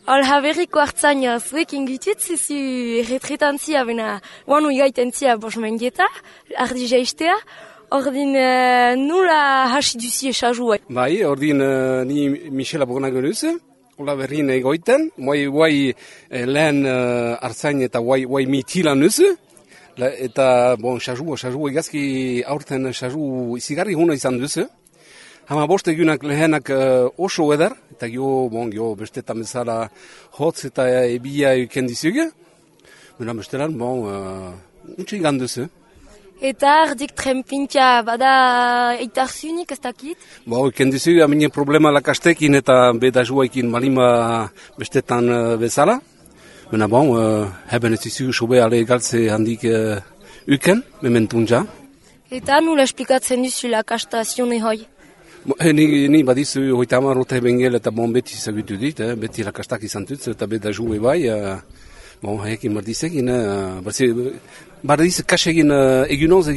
Alha berriko hartzaina zuekin gitutzi zu erretretantzia bena guanu igaitentzia bosmendieta, ardi jaistea, ordin nula hasi duzi esazua. Bai, ordin ni Michela Bonago nuze, hola berrin egoiten, guai lehen hartzain eta guai mitila nuze, eta bon, esazua egazki aurten esazu izigarri huna izan duze. Hama bost egunak lehenak oso eder, eta gio bestetan bezala hotz eta ebia euken dizuge. Bena bestelan, untxe igan duzu. Eta ardik trempintia bada eitarzunik ez dakit? Euken dizuge, amine problema lakastekin eta beda juaikin malima bestetan bezala. Bena heben ez dizuge sobe ale galtze handik euken, mementunja. Eta nula esplikatzen duzu lakastazione hoi? Ni badizu hoita amarote bengel eta beti zagutu dit, beti lakastak izan dut eta beda jue bai, haiekin bardizekin, bardiz kasegin egunoz,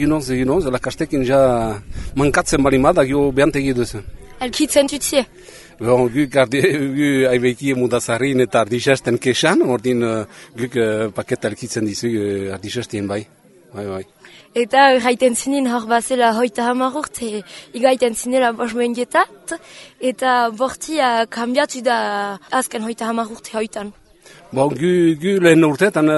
lakastekin ja mankatzen balimada gio behantegi duzu. Elkitzen tutzie? Gu aibeiki mudazarin eta ardisasten kesan, ordin guk paketa elkitzen dizu ardisastien bai. Eta gaiten zinen hor bazela hoita hamarurte, igaiten zinela bosmendietat, eta bortia kambiatu da azken hoita hamarurte hoitan. Gu lehen urteetan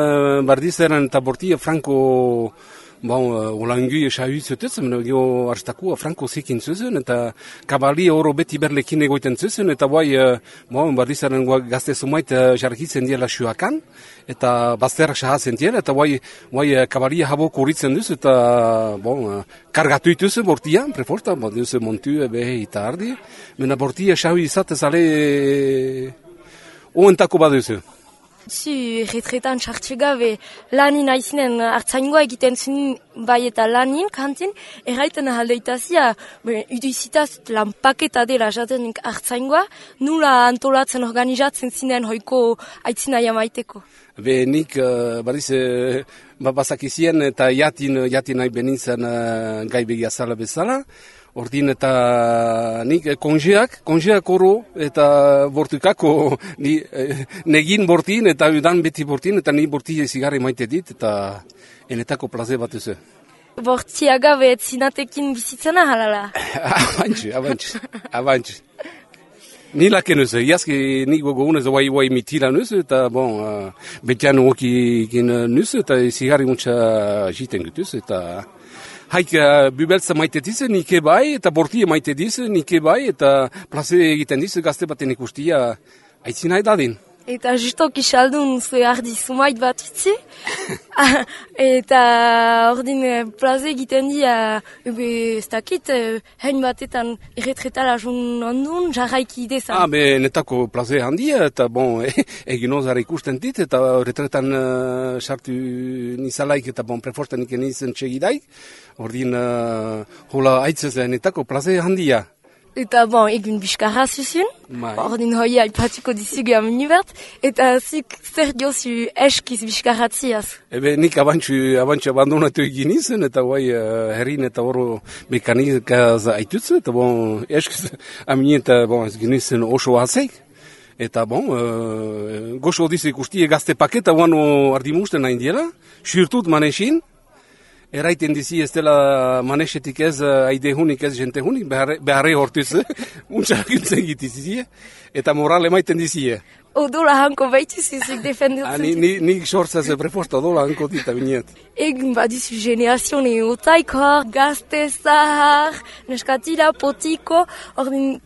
bardizaren eta bortia franko olangu esahuz zutuzen, gio arstakua franko zekin zuzen, eta kabali oro beti berlekin egoiten zuzen, eta bardizaren gazte sumait jarkitzen diela suakan, eta bazterak sahazen diela, eta kabalia habok horitzen duz, eta kargatu ituzen bortia, preforta, duzu montu, behe eta ardi, mena bortia sahu izatez ale oentako baduzu. Zu erretretan txartxegabe lanin aizinen hartzaingoa egiten zinen bai eta lanin kantin, erraiten ahaldeitazia, uduizitaz lanpaketa dela jatenik hartzaingoa, nula antolatzen organizatzen zinen hoiko aitzina jamaiteko? Nik bariz bazakizien eta jatin nahi benintzen gai begiazala bezala, ordin eta nik konjeak oro eta bortukako negin bortin eta udan beti bortin eta ni borti zigarri maite dit eta enetako plaze bat duzu. Bortiagabe zinatekin bizitzena halala? Abantx. Ni laken nuzu, iazki nik gogunez guai mitila nuzu eta betian okikin nuzu eta zigarri muntza jiten gutuz eta haik bubeltza maite dizu, nike bai, eta bortia maite dizu, nike bai, eta plaze egiten dizu gazte baten ikustia aitzina edadin. Eta justok isaldun zue ardi sumait bat utzi, eta ordin plaze egiten dia, ez dakit, hein batetan erretretala jun ondun, jarraiki idezan. Netako plaze handia, eta eginozara ikusten dit, eta erretretan sartu nizalaik, eta preforten iken izen txegidaik, ordin hola aitzezen netako plaze handia. Eta egun biskarra zuzun, ordin hoi aipatuko dizuge aminibert, eta zuk zer diozu eskiz biskarratziaz? Nik abantxu abandonatu egin izan, eta herrin eta oro mekanikaz aitutzu, eta eskiz amini eta ez genizien oso hazeik. Eta goxo dizu ikustie gazte paketa guano ardimusten nahi diela, xurtut manesin, eraiten dizi ez dela manesetik ez aidehunik ez jentehunik, beharre hortuz, untxakuntzen gitizizie, eta moral emaiten dizie. Odola hanko baituzizik defenditzen. Nik sortzaz preforta odola hanko dita binet. Egun badizu generazione otaiko, gazte zahar, neskatila, potiko, ordin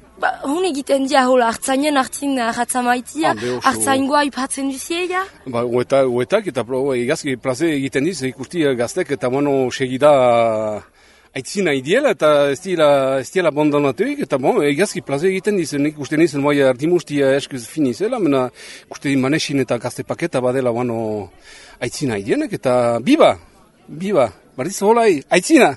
hun egiten dia hola hartzainen hartzin ratzamaitia, hartzaingoa ipatzen duzieia? Oetak eta egazki plaze egiten diz, ikusti gaztek eta segida aitzina idiela eta ez diela abandonatuik, eta egazki plaze egiten diz, nik uste nizen ardimustia eskuz finizela, mena uste manesin eta gazte paketa badela aitzina idienek, eta biba, barriz holai, aitzina!